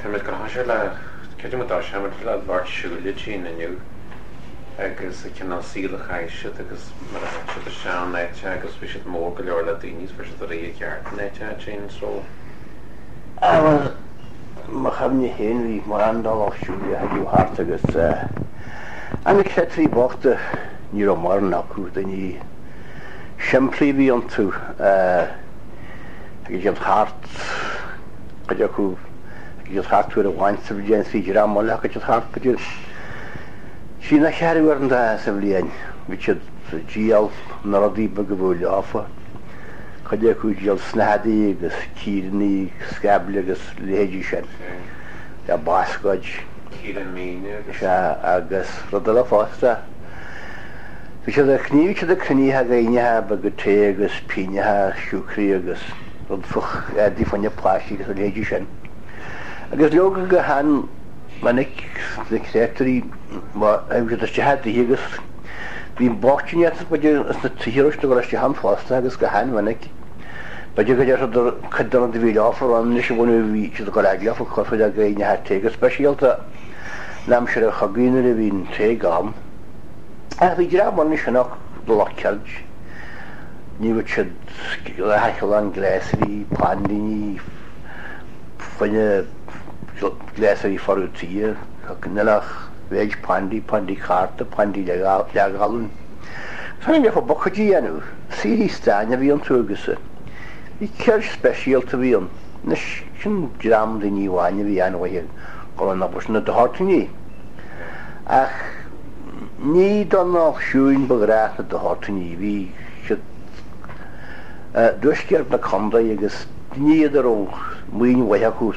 Tá muid ag toiseacht le, creidim go dtoiseoidh muid le lucht siúil ansin inniu agus an cineál saoil a chaith siad agus mar a thit siad isteach in áit agus bhí siad mór go leor le daoine is fuair siad ar aghaidh i gceart in áit ansin so. Ah bhuel, mo chuimhne féin bhí mórán de lucht siúil a thagadh thart agus eh na créatúirí bochta ní raibh mórán acu, daoine simplí a bhí iontu eh thagadh siad thart, cuid acu thagadh siad thart uair amháin sa bhliain is bhí dream eile thagadh siad thart b'fhéidir trí nó cheithre uaireanta sa bhliain. Bhí siad ag díol na rudaí beaga a bhíodh leofa, cuid acu ag díol snáthaidí agus círeanna, scaible agus leithéidí sin, le bascóid. Círeann míne agus. Sea, agus rud eile fosta, bhí siad ag, ní bhí siad ag cruinniú againneacha beaga tae agus pingneacha siúcraí agus. rud éadaí fá choinne páistí agus a leithéidí sin. Agus leoga go han-mhinic na créatúirí má thagadh siad isteach i dtithe agus bhí bochtaineacht b'fhéidir ins na tithe a raibh siad ag dul isteach ann fosta agus go han-mhinic b'fhéidir go deir siad cuid den rud a bhí leofa ann anois a bhunú bhí siad ag dul ag leofa cur faoi dhaoine thar tae go speisialta in aimsir an chogaidh nuair a bhí an tae gann. Ach bhí dream ann ansin ach do lucht ceird. Ní bheadh siad le haicheallán gléasraí, paindíní, fá choinne gléasraí forradh tuí, níl ach mhéid paindí, paindí cárta, paindí leathghallún. Tháinig leofa buicéidí a dhéanamh, saoithí stáin a bhí iontu agus bhí ceird speisialta a bhí ann. Anois, sin dream daoine amháin a bhí an-mhaith ag dul an obair sin, na Dohertyní. Ach ní don lucht siúil ba ghnách na Dohertyní, bhí siad i dtuaisceart na contae agus daoine iad a raibh maoin mhaith acu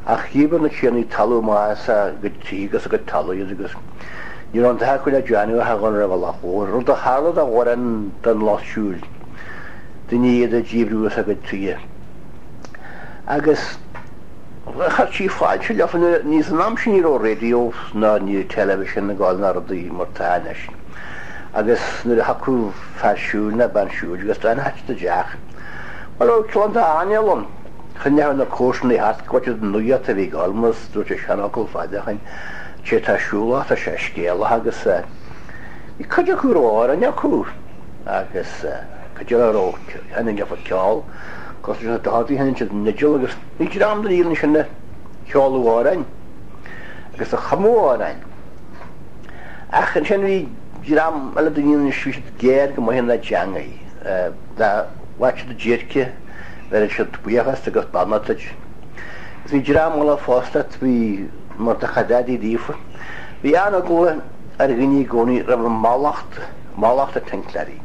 ach dhíbir na tiarnaí talún amach as a gcuid tithe agus a gcuid talún iad agus ní raibh an dath acu le déanamh ach a dhul ar an bhealach mhór, rud a tharla do mhórán den lucht siúil, daoine iad a díbríodh as a gcuid tithe. Agus chuirtí fáilte leofa nuair a, ní san am sin ní raibh raidió ná ní raibh television ag gabháil ná rudaí mar tá anois. Agus nuair a thiocfadh fear siúil ná bean siúil agus d'fhanfadh siad i dteach, bhuel bheadh cineál d'anáil ann, choinneodh na comharsanaí thart go bhfaigheadh siad an nuacht a bhí ag gabháil mar a dúirt an seanfhocal fada ó shin, té atá siúlach tá sé scéalach agus bhí cuid acu a raibh amhráin acu agus cuid eile a raibh thaitnigh leofa ceol, cosúil leis na Dohertys sheinneadh siad an fhidil agus bhí dream den fhírinne sin a cheoladh amhráin agus a chumadh amhráin. Ach ansin bhí dream eile daoine anois, bhí siad géar go maith ina dteangaidh. Dá bhfaigheadh siad déirce, bheireadh siad buíochas agus beannacht duit. Agus bhí dream eile fosta, bhí mar do chuid éadaí daofa. Bhí an-eagla ar dhaoine i gcónaí roimh an mallacht, mallacht na Tincléirí.